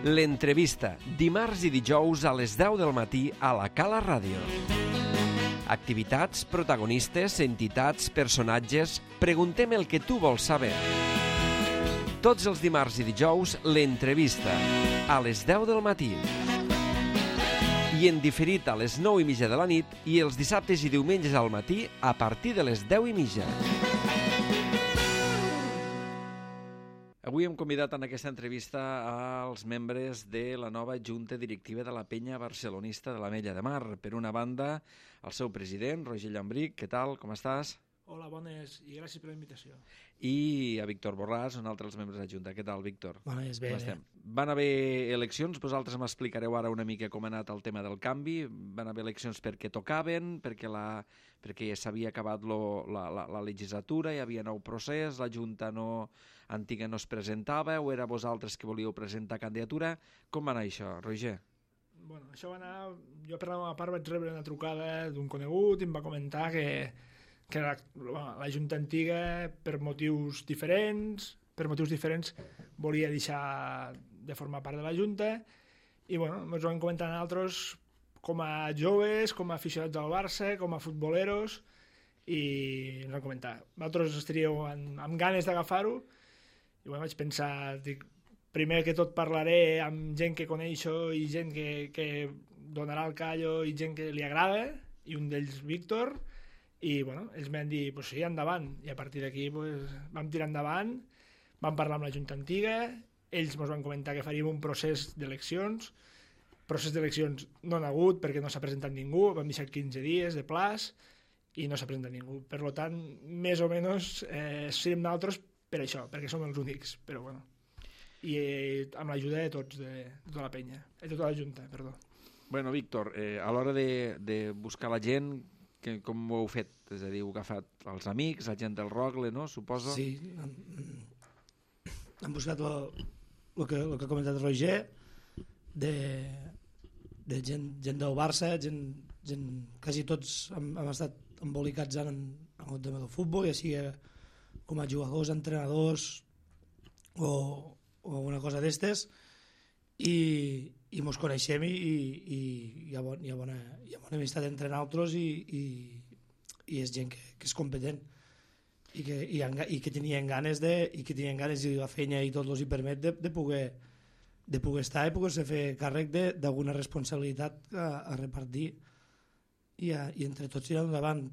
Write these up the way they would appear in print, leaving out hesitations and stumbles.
L'entrevista, dimarts i dijous a les 10 del matí a la Cala Ràdio. Activitats, protagonistes, entitats, personatges... Preguntem el que tu vols saber. Tots els dimarts i dijous, l'entrevista, a les 10 del matí. I en diferit a les 9:30 de la nit i els dissabtes i diumenges al matí a partir de les 10:30. Avui hem convidat en aquesta entrevista als membres de la nova Junta Directiva de la Penya Barcelonista de l'Ametlla de Mar. Per una banda, el seu president, Roger Llambric. Què tal? Com estàs? Hola, bones, i gràcies per la invitació. I a Víctor Borràs, un altre dels membres de la Junta. Què tal, Víctor? Bones, bé. Van haver eleccions, vosaltres m'explicareu ara una mica com ha anat el tema del canvi. Van haver eleccions perquè tocaven, perquè ja s'havia acabat la legislatura, hi havia nou procés, la Junta antiga no es presentava, o era vosaltres que volíeu presentar candidatura? Com va anar això, Roger? Bueno, això va anar... Jo per la meva part vaig rebre una trucada d'un conegut i em va comentar que la Junta antiga, per motius diferents, volia deixar de formar part de la Junta i bueno, ens ho vam comentar nosaltres com a joves, com a aficionats del Barça, com a futboleros, i ens vam comentar. Vosaltres estaríeu amb ganes d'agafar-ho i bueno, vaig pensar, primer que tot parlaré amb gent que coneixo i gent que donarà el callo i gent que li agrada, i un d'ells Víctor, i bueno, ells m'han dit, pues sí, endavant, i a partir d'aquí pues, vam tirar endavant, vam parlar amb la Junta Antiga, ells ens van comentar que faríem un procés d'eleccions no n'ha hagut perquè no s'ha presentat ningú, vam deixar 15 dies de plaç i no s'ha presentat ningú, per tant, més o menys serem nosaltres per això, perquè som els únics, però bueno, i amb l'ajuda de tots, de tota la penya, de tota la Junta, perdó. Bueno, Víctor, a l'hora de buscar la gent, com ho heu fet? És a dir, heu agafat els amics, la gent del Rogle, no? Suposo? Sí, hem buscat el que ha comentat Roger, de gent del Barça, gent quasi tots hem estat embolicats en el tema del futbol, ja sigui com a jugadors, entrenadors o alguna cosa d'estes, i mos coneixem i hi ha bona amistat entre nosaltres i és gent que és competent i que tenien ganes i la feina i tot els hi permet de poder estar i poder-se fer càrrec d'alguna responsabilitat a repartir i entre tots tirar endavant.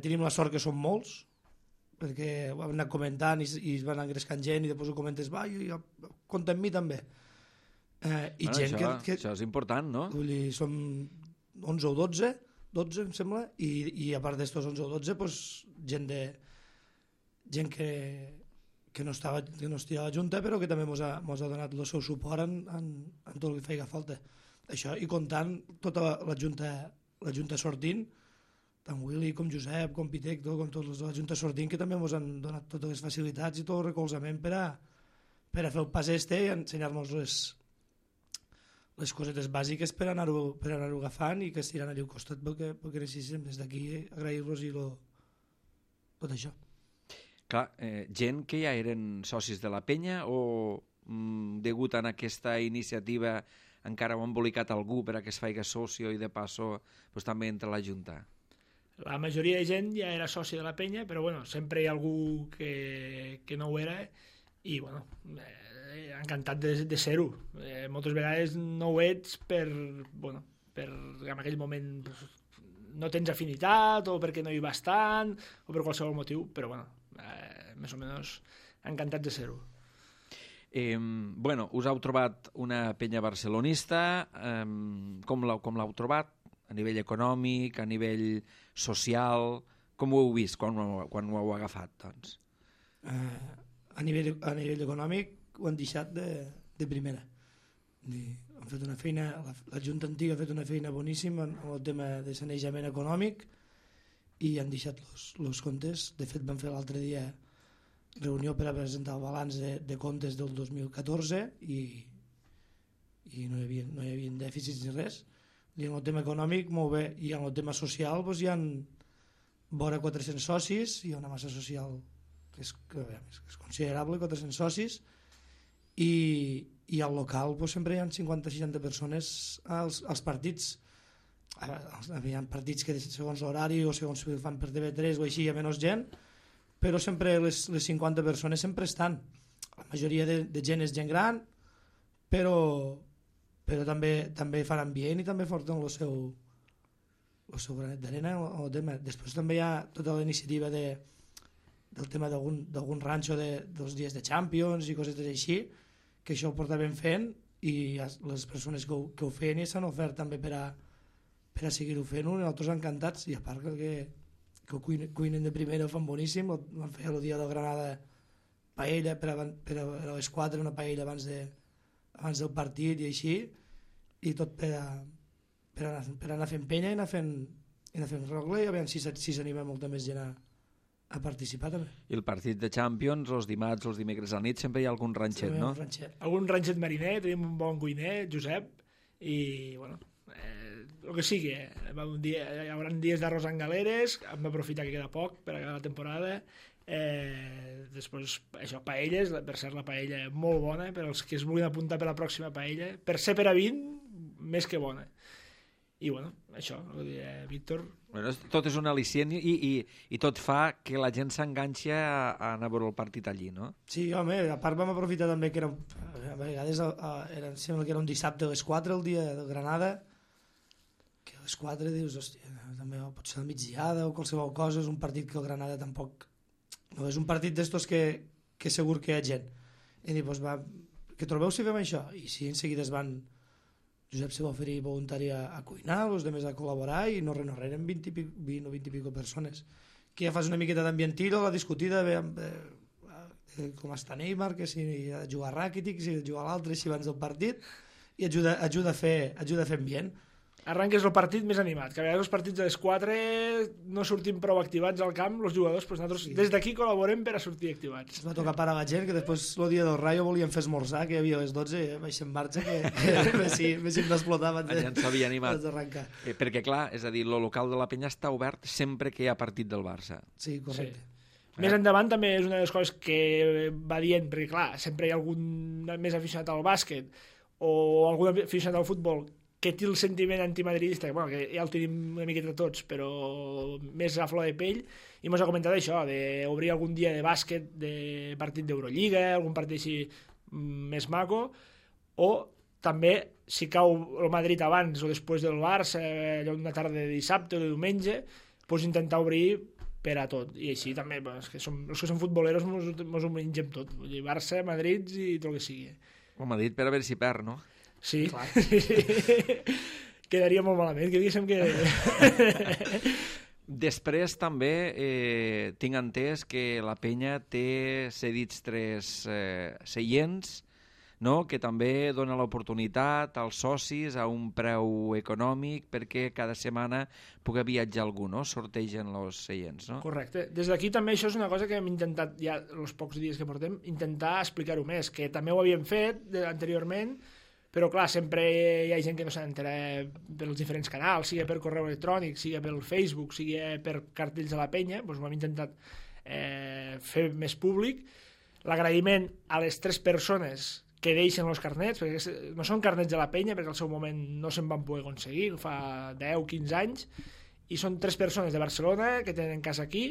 Tenim la sort que som molts, perquè ho hem anat comentant i es van engrescant gent i després ho comentes, compta amb mi també. Això és important, no? Vull dir, som 11 o 12 em sembla, i a part d'estos 11 o 12 pues, gent que no estava a la Junta però que també ens ha donat el seu suport en tot el que feia falta. Això, i comptant tota la Junta sortint, tant Willy com Josep, com Pitec, com tots els de la Junta sortint, que també ens han donat totes les facilitats i tot el recolzament per a fer el pas i ensenyar-nos les cosetes bàsiques per anar-ho agafant i que estiran allà al costat perquè necessitem. Des d'aquí agrair-los i tot això. Clar, gent que ja eren socis de la penya o degut a aquesta iniciativa encara ho ha embolicat algú per a que es faci socio i de passo pues, també entra a la Junta? La majoria de gent ja era soci de la penya, però bueno, sempre hi ha algú que no ho era i bueno, encantat de ser-ho. Moltes vegades no ho ets per en aquell moment no tens afinitat o perquè no hi vas tant o per qualsevol motiu, però bueno, més o menys encantats de ser-ho. Bueno, us heu trobat una penya barcelonista, com l'heu trobat? A nivell econòmic, a nivell social, com ho heu vist quan ho heu agafat, doncs? A nivell econòmic ho han deixat de primera. Han fet una feina, la Junta Antiga ha fet una feina boníssima en el tema de sanejament econòmic i han deixat els comptes. De fet, van fer l'altre dia reunió per a presentar el balanç de comptes del 2014 i no hi havia dèficits ni res. I en el tema econòmic, molt bé. I en el tema social doncs, hi ha vora 400 socis, hi ha una massa social que és considerable, 400 socis, i al local pues, sempre hi ha 50-60 persones als partits. Hi ha partits que segons l'horari o segons si fan per TV3 o així hi ha menys gent, però sempre les 50 persones sempre estan. La majoria de gent és gent gran, però també fan ambient i també porten el seu granet d'arena o tema. Després també hi ha tota la iniciativa del tema d'algun ranxo dels dies de Champions i coses així, que això ho portaven fent i les persones que ho feien s'han ofert també per a seguir-ho fent, i nosaltres encantats, i a part que ho cuinen de primera, ho fan boníssim. Van fer el dia del Granada paella per a les 4, una paella abans del partit i així, i tot per anar fent penya i anar fent rogle, i a veure si s'anima molta més gent a participar també. I el partit de Champions, els dimarts o els dimecres a la nit, sempre hi ha algun ranxet, no? Algun ranxet mariner, tenim un bon cuiner, Josep, i bueno, el que sigui, hi haurà dies d'arròs en galeres, hem d'aprofitar que queda poc per acabar la temporada. Després, això, paelles, per cert, la paella molt bona, per als que es vulguin apuntar per la pròxima paella, per ser per a 20, més que bona. I bueno, això, ho diré, Víctor. Bueno, tot és un al·licient i tot fa que la gent s'enganxi a anar a veure el partit allí, no? Sí, home, a part vam aprofitar també que a vegades sembla que era un dissabte a les 4 el dia de Granada, que a les 4 dius, hòstia, també pot ser la migdiada o qualsevol cosa, és un partit que el Granada tampoc... No, és un partit d'estos que segur que hi ha gent. I dic, doncs va, que trobeu si fem això? I sí, en seguida es van... Josep se va oferir voluntari a cuinar, els altres a col·laborar, i no eren 20 o 20 i pico persones. Que ja fas una miqueta d'ambientiro, la discutida com està Neymar, que si ha de jugar Rakitic, si ha de jugar l'altre, si abans del partit, i ajuda a fer ambient. Arranques el partit més animat, que a vegades els partits de les 4 no sortim prou activats al camp, els jugadors, doncs nosaltres des d'aquí col·laborem per a sortir activats. Es va tocar parar la gent, que després el dia del Rayo volien fer esmorzar, que hi havia a les 12, vaig en marxa, que m'haguéssim d'explotar abans d'arrencar. Perquè clar, és a dir, el local de la Penya està obert sempre que hi ha partit del Barça. Sí, correcte. Sí. Més endavant també és una de les coses que va dient, perquè clar, sempre hi ha algun més aficionat al bàsquet o algun aficionat al futbol que té el sentiment antimadridista, bueno, que ja el tenim una miqueta tots, però més a flor de pell, i mos ha comentat això, d'obrir algun dia de bàsquet, de partit d'Eurolliga, algun partit així més maco, o també, si cau el Madrid abans o després del Barça, allò una tarda de dissabte o de diumenge, doncs intentar obrir per a tot, i així també, els que som futboleros mos ho mengem tot, vull dir, Barça, Madrid i tot el que sigui. O Madrid per a veure si perd, no? Sí, quedaria molt malament, que diguéssim que... Després també tinc entès que la Penya té cedits 3 seients, no? Que també dona l'oportunitat als socis a un preu econòmic perquè cada setmana pugui viatjar algú, no? Sortegen els seients, no? Correcte. Des d'aquí també això és una cosa que hem intentat, ja els pocs dies que portem, intentar explicar-ho més, que també ho havíem fet anteriorment, però clar, sempre hi ha gent que no s'ha d'enterar pels diferents canals, sigui per correu electrònic, sigui pel Facebook, sigui per cartells de la Penya, doncs ho hem intentat fer més públic. L'agraïment a les 3 persones que deixen els carnets, perquè no són carnets de la Penya, perquè al seu moment no se'n van poder aconseguir, fa 10-15 anys, i són 3 persones de Barcelona que tenen casa aquí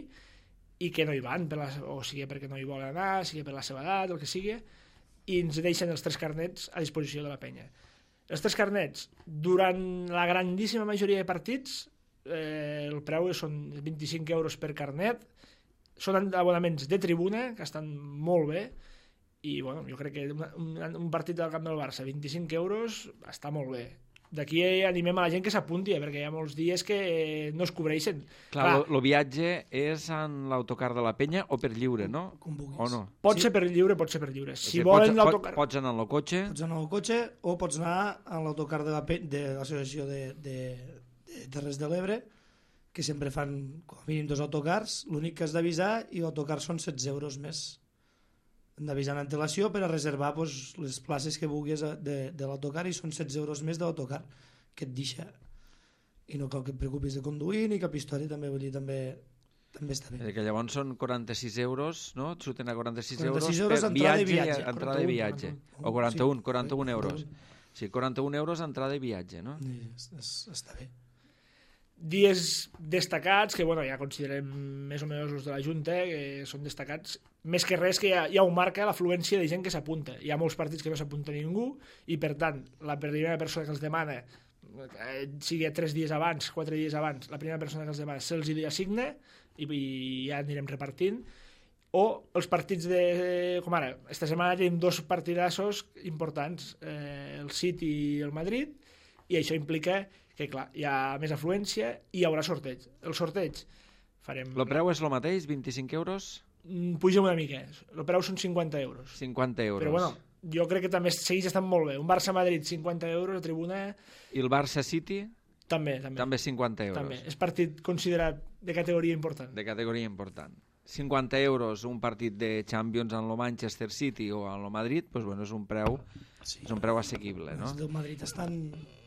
i que no hi van, o sigui perquè no hi volen anar, sigui per la seva edat, el que sigui, i ens deixen els 3 carnets a disposició de la Penya. Els 3 carnets, durant la grandíssima majoria de partits, el preu són 25 euros per carnet, són abonaments de tribuna, que estan molt bé, i bueno, jo crec que un partit del camp del Barça, 25 euros, està molt bé. D'aquí animem a la gent que s'apunti, perquè hi ha molts dies que no es cobreixen. Clar, el viatge és en l'autocar de la Penya o per lliure, no? O no? Pot ser per lliure, pot ser per lliure. Si volen l'autocar... Pots anar en el cotxe? Pots anar en el cotxe o pots anar en l'autocar de l'associació de Terres de l'Ebre, que sempre fan com a mínim 2 autocars. L'únic que has d'avisar, i l'autocar són 16 euros més. Hem d'avisar en antelació per a reservar les places que vulguis de l'autocar, i són 16 euros més de l'autocar que et deixa, i no cal que et preocupis de conduir ni cap història. També vull dir, també també està bé. Que llavors són 46 euros, no? Et surten a 46 46 euros per entrada i viatge, viatge. entrada i viatge. O 41 euros. Sí, 41 euros entrada i viatge, no? Està bé. Dies destacats, que bueno, ja considerem més o menys els de la Junta, que són destacats, més que res que ja ho marca l'afluència de gent que s'apunta. Hi ha molts partits que no s'apunta ningú i, per tant, la primera persona que els demana, sigui 3 dies abans, 4 dies abans, la primera persona que els demana se'ls hi assigna i ja anirem repartint. O els partits com ara, esta setmana tenim 2 partidassos importants, el City i el Madrid, i això implica que, clar, hi ha més afluència i hi haurà sorteig. El sorteig farem... El preu és el mateix, 25 euros? Puja una mica, el preu són 50 euros. 50 euros. Però bueno, jo crec que també segueix estant molt bé. Un Barça-Madrid, 50 euros a tribuna... I el Barça-City? També. També 50 euros. També. És partit considerat de categoria important. De categoria important. 50 euros un partit de Champions en el Manchester City o en el Madrid, doncs, bueno, és un preu assequible, no? Els del Madrid estan...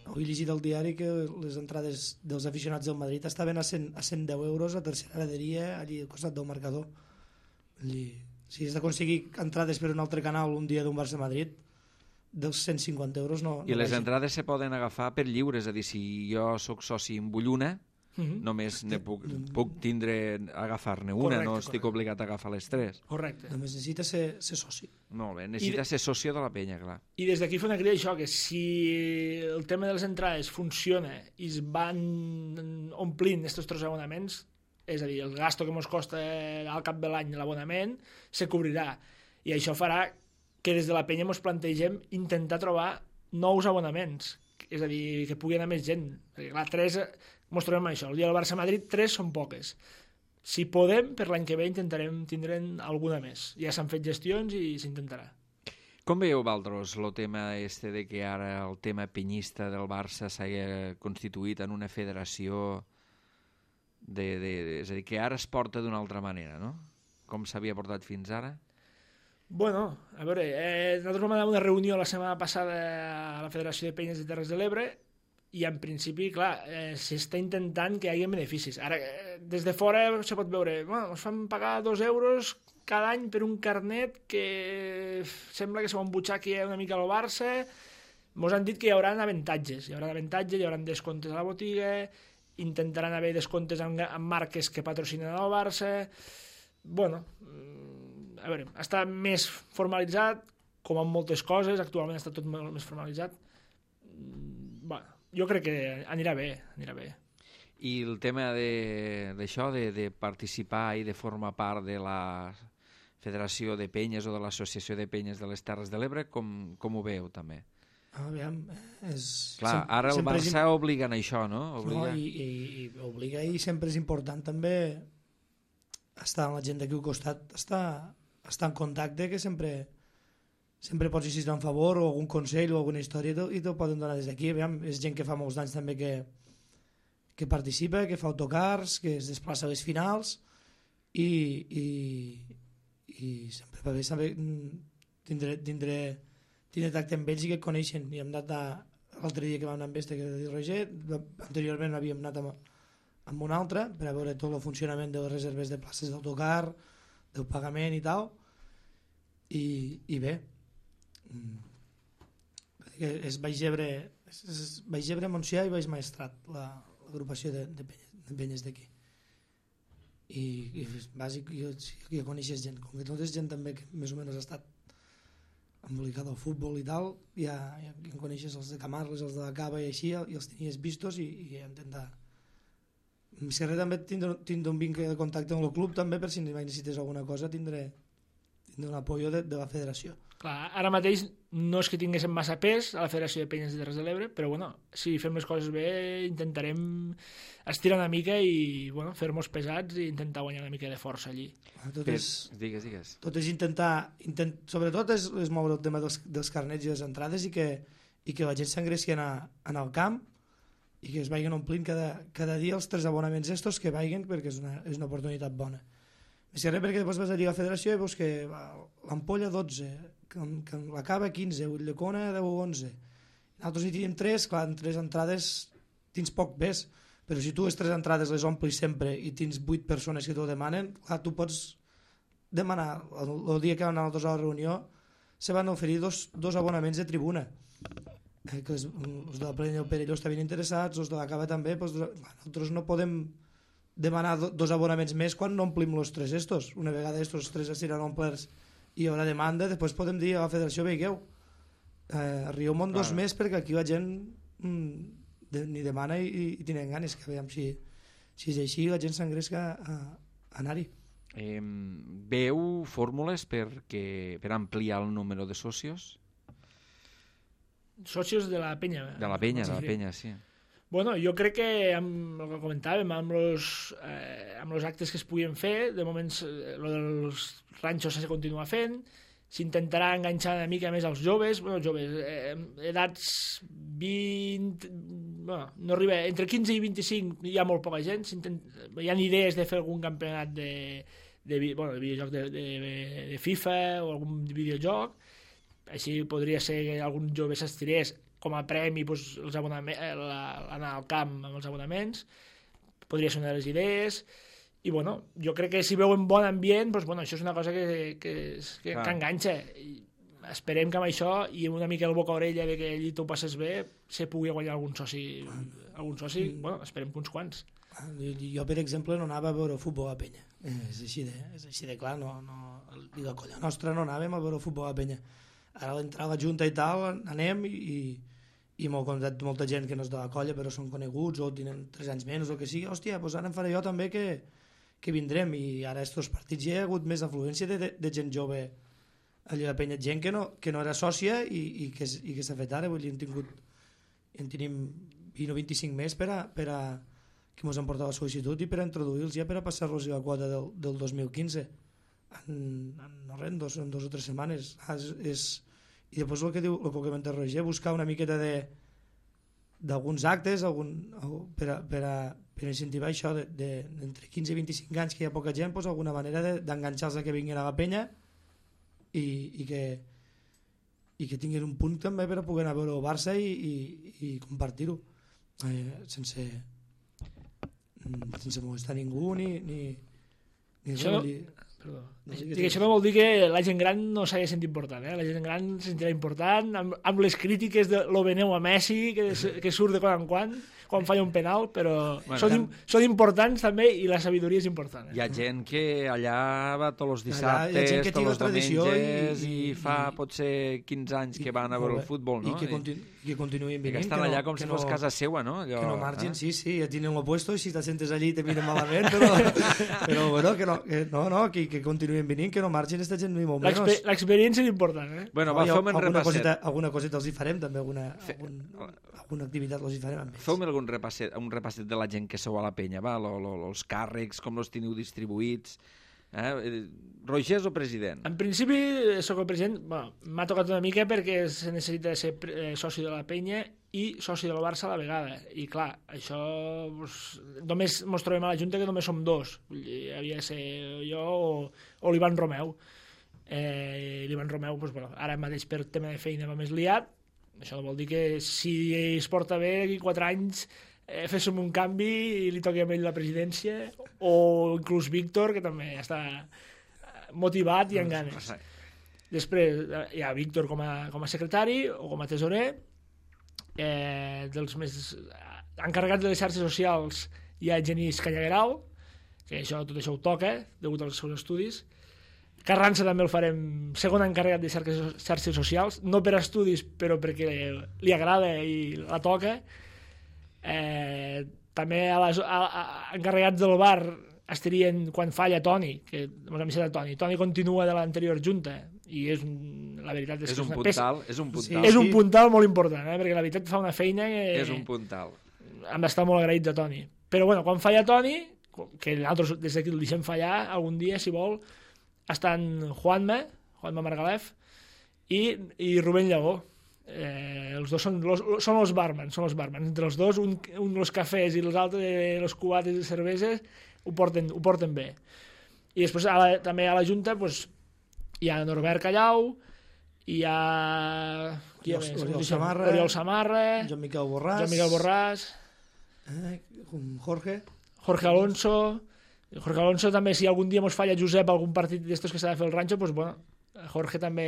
Avui he llegit al diari que les entrades dels aficionats del Madrid estaven a 110 euros a tercera graderia, allí al costat del marcador. Si has d'aconseguir entrades per un altre canal un dia d'un Barça-Madrid, dels 150 euros no... I les entrades se poden agafar per lliure, és a dir, si jo sóc soci amb vull una, només puc agafar-ne una, no estic obligat a agafar les 3. Correcte. Només necessita ser soci. Molt bé, necessita ser soci de la penya, clar. I des d'aquí fa una crida això, que si el tema de les entrades funciona i es van omplint aquests 3 abonaments, és a dir, el gasto que ens costa al cap de l'any l'abonament, se cobrirà. I això farà que des de la penya ens plantegem intentar trobar nous abonaments, és a dir, que pugui anar més gent. Perquè, clar, 3... Ens trobem amb això. El dia del Barça-Madrid, 3 són poques. Si podem, per l'any que ve intentarem tindre'n alguna més. Ja s'han fet gestions i s'intentarà. Com veieu, Valdros, el tema de que ara el tema penyista del Barça s'hagi constituït en una federació és a dir, que ara es porta d'una altra manera, no? Com s'havia portat fins ara? Bueno, a veure, nosaltres vam anar a una reunió la setmana passada a la Federació de Penyes de Terres de l'Ebre i en principi, clar, s'està intentant que hi hagi beneficis. Ara, des de fora se pot veure, bueno, ens fan pagar 2 euros cada any per un carnet que sembla que se va embutxar una mica al Barça. Ens han dit que hi haurà avantatges, hi haurà descomptes a la botiga, intentaran haver descomptes amb marques que patrocinen el Barça. Bueno, a veure, està més formalitzat, com en moltes coses, actualment està tot molt més formalitzat. Bueno, jo crec que anirà bé. I el tema d'això, de participar i de formar part de la Federació de Penyes o de l'Associació de Penyes de les Terres de l'Ebre, com ho veu també? Aviam, clar, ara el Barça obliga en això, no? Obliga. No, i obliga, i sempre és important també estar amb la gent d'aquí al costat, estar en contacte, que sempre pots insistir en favor o algun consell o alguna història i te'l poden donar des d'aquí. És gent que fa molts anys també que participa, que fa autocars, que es desplaça a les finals i sempre va bé saber tindre tacte amb ells i que et coneixen. I hem anat l'altre dia que vam anar amb este, que era de Roger, anteriorment havíem anat amb un altre per a veure tot el funcionament de les reserves de places d'autocar, del pagament i tal, i bé, és Baix Ebre, Montsià i Baix Maestrat, l'agrupació de penyes d'aquí. I és bàsic, jo coneixes gent, com que tot és gent també que més o menys ha estat embolicada al futbol i tal, ja coneixes els de Camarles, els de la Cava i així, i els tenies vistos i intentar. Si res també tindre un vincle de contacte amb el club també, per si necessites alguna cosa tindre un apoyo de la federació. Clar, ara mateix no és que tinguéssim massa pes a la Federació de Penyes de Terres de l'Ebre, però bueno, si fem les coses bé intentarem estirar una mica i bueno, fer-nos pesats i intentar guanyar una mica de força allí. Digues. Tot és intentar sobretot és moure el tema dels carnets i les entrades i que la gent s'engressi en el camp i que es vagin omplint cada dia els 3 abonaments estos que vagin, perquè és una oportunitat bona. Més que res, perquè després vas a dir a la federació i veus que l'Ampolla 12, que la Cava 15, Ulldecona 10 o 11. Nosaltres hi tenim 3, clar, en 3 entrades tens poc pes, Però si tu les 3 entrades les omplis sempre i tens 8 persones que t'ho demanen, clar, tu pots demanar, el dia que van anar a la reunió, se van oferir dos abonaments de tribuna. Que els de la Plena del Perelló estaven interessats, els de la Cava també, doncs, nosaltres no podem demanar 2 abonaments més quan no omplim els 3 estos. Una vegada estos 3 estiran omplerts i hi haurà demanda, després podem dir a la federació, veigueu, arribeu-me'n 2 més perquè aquí la gent ni demana i tenen ganes, que veiem si és així la gent s'engresca a anar-hi. Veu fórmules per ampliar el número de socios? Socios de la penya. De la penya, sí. Bueno, jo crec que, amb el que comentàvem, amb els actes que es puguin fer, de moments el dels ranxos se continua fent, s'intentarà enganxar una mica més als joves, edats 20... Bueno, no arriba, entre 15 i 25 hi ha molt poca gent, hi ha idees de fer algun campionat de videojoc de FIFA o algun videojoc, així podria ser que algun jove s'estirés com a premi anar al camp amb els abonaments, podria ser una de les idees. I bueno, jo crec que si veuen bon ambient, doncs, bueno, això és una cosa que enganxa. Esperem que amb això i una mica el boca a orella de que allí t'ho passes bé se pugui guanyar algun soci. Bueno, esperem que uns quants. Jo, per exemple, no anava a veure futbol a Penya. És així de clar, i la colla nostra no anàvem a veure futbol a Penya. Ara a l'entrar a la junta i tal, anem i m'ho ha contat molta gent que no és de la colla però són coneguts o tenen 3 anys menys o que sigui, hòstia, doncs ara em faré jo també que vindrem, i ara estos partits ja hi ha hagut més afluència de gent jove allà a Penya, gent que no era sòcia i que s'ha fet ara, vull dir, en tenim 20 o 25 més per a que ens han portat la sol·licitud i per a introduir-los ja per a passar-los la quota del 2015 en 2 o 3 setmanes. I després el que comenta Roger, buscar una miqueta d'alguns actes per a incentivar això d'entre 15 i 25 anys que hi ha poca gent, doncs alguna manera d'enganxar-los que vinguin a la penya i que tinguin un punt també per a poder anar a veure el Barça i compartir-ho sense molestar ningú ni Perdó. Això no vol dir que la gent gran no s'hagi sentit important, la gent gran se sentirà important amb les crítiques de lo veneu a Messi que surt de quan falla un penal, però són importants també i la sabidoria és important. Hi ha gent que allà va tots els dissabtes, tots els diumenges i fa potser 15 anys que van a veure el futbol, no? I que continuïn venint. Que estan allà com si fos casa seua, no? Que no margin, sí, ja tenen lo puesto i si te sentes allí te miren malament, però bueno, que continuïn venint, que no margin esta gent ni molt menys. L'experiència és important, Bueno, va, fem un repasset. Alguna coseta els hi farem també, alguna activitat els hi farem amb ells. Feu-me un repasset de la gent que sou a la penya, va? Els càrrecs, com els teniu distribuïts. Roger és el president? En principi sóc el president, m'ha tocat una mica perquè se necessita ser soci de la penya i soci del Barça a la vegada, i clar, això només ens trobem a la Junta que només som 2, havia de ser jo o l'Ivan Romeu. L'Ivan Romeu ara mateix per tema de feina va més liat. Això vol dir que si es porta bé aquí 4 anys féssim un canvi i li toqui a ell la presidència, o inclús Víctor, que també està motivat i amb ganes. Després hi ha Víctor com a secretari o com a tesorer. Dels més encarregats de les xarxes socials hi ha Genís Canyagueral, que tot això ho toca degut als seus estudis. Carranza també el farem segon encarregat de xarxes socials, no per estudis però perquè li agrada i la toca. També encarregats del bar estarien quan falla Toni, que ens hem deixat a Toni continua de l'anterior junta i la veritat és que és un puntal molt important, perquè la veritat fa una feina que és un puntal. Hem d'estar molt agraïts a Toni, però bueno, quan falla Toni, que nosaltres des d'aquí el deixem fallar algun dia si vol, estan Juanma Margalef i Rubén Llagó. Els dos són els barmans, entre els dos un els cafès i els altres els cubates i cerveses ho porten bé. I després també a la Junta hi ha Norbert Callau, hi ha Oriol Samarra, Joan Miquel Borràs, Jorge Alonso també, si algun dia mos falla Josep algun partit d'estos que s'ha de fer el ranxo, doncs bueno, Jorge també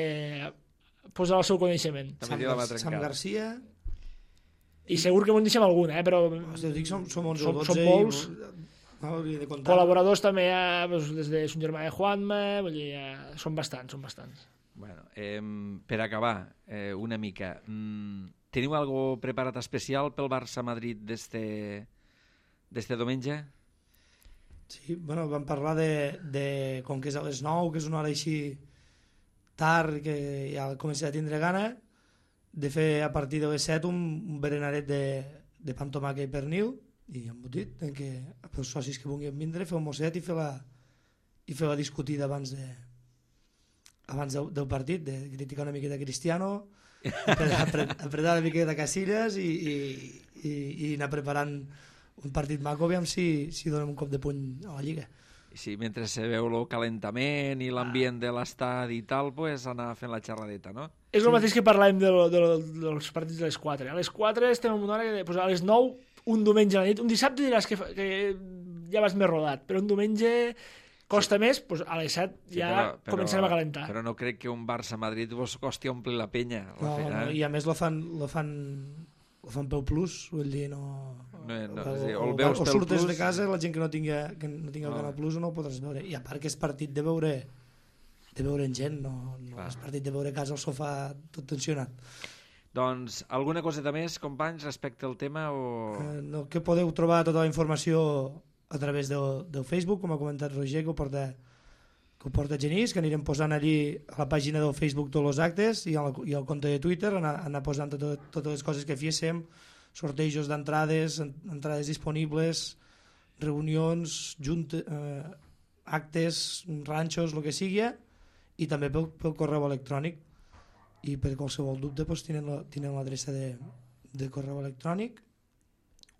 posa el seu coneixement. Sam Garcia, i segur que m'ho deixem alguna, però dic, som 11 o 12 són molts. De Col·laboradors també hi ha, des de son germà de Juanma, vull dir, són bastants. Bueno, per acabar, una mica, teniu algo preparat especial pel Barça-Madrid d'este diumenge? Sí, bueno, vam parlar de com que és a les 9, que és una hora així tard, que ja comença a tindre gana, de fer a partir de les 7 un berenaret de pa amb tomàquet i pernil i embotit, en què els socis que vulguin vindre, fer un mosset i fer la discutida abans del partit, de criticar una miqueta Cristiano, apretar una miqueta Casillas i anar preparant un partit maco, aviam si donem un cop de puny a la Lliga. Sí, mentre se veu el calentament i l'ambient de l'estadi i tal, pues anar fent la xerradeta, no? És el mateix que parlàvem dels partits de les 4. A les 4 estem en una hora que a les 9, un diumenge a la nit, un dissabte diràs que ja vas més rodat, però un diumenge costa més, doncs a les 7 ja començarem a calentar. Però no crec que un Barça-Madrid vos costi omplir la penya. No, i a més lo fan pel plus, vull dir, o surtes de casa, la gent que no tingui el Canal Plus no ho podràs veure, i a part que és partit de veure en gent, no és partit de veure a casa al sofà tot tensionat. Doncs alguna coseta més, companys, respecte al tema? Que podeu trobar tota la informació a través del Facebook, com ha comentat Roger, que ho porta Genís, que anirem posant allí a la pàgina del Facebook tots els actes i al compte de Twitter anar posant totes les coses que féssim, sortejos d'entrades, entrades disponibles, reunions, actes, ranxos, el que sigui, i també pel correu electrònic. I per qualsevol dubte tenen l'adreça de correu electrònic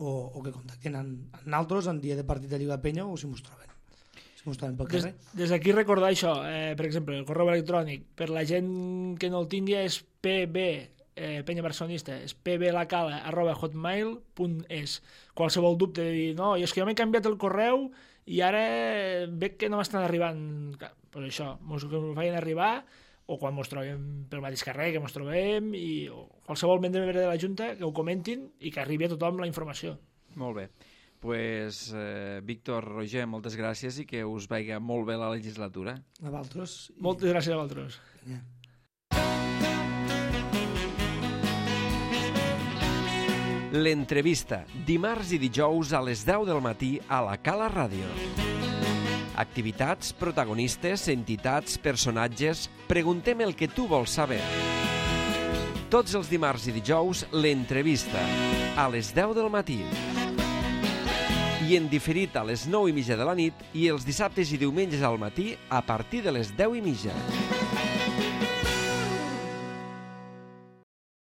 o que contacten amb nosaltres en dia de partit de Lliga Penya o si mos troben pel carrer. Des d'aquí recordar això, per exemple, el correu electrònic, per la gent que no el tingui és Penya Barcelonista, és pblacala@hotmail.es. Qualsevol dubte de dir, no, és que jo m'he canviat el correu i ara veig que no m'estan arribant, pues això, mos feien arribar, o quan mos trobem pel mateix carrer que mos trobem, o qualsevol membre de la Junta que ho comentin i que arribi a tothom la informació. Molt bé. Pues, Víctor, Roger, moltes gràcies i que us vagi molt bé la legislatura. A vosaltres. Moltes gràcies a vosaltres. L'entrevista, dimarts i dijous a les 10 del matí a la Cala Ràdio. Activitats, protagonistes, entitats, personatges... Preguntem el que tu vols saber. Tots els dimarts i dijous, l'entrevista, a les 10 del matí. I en diferit a les 9:30 de la nit i els dissabtes i diumenges al matí a partir de les 10:30.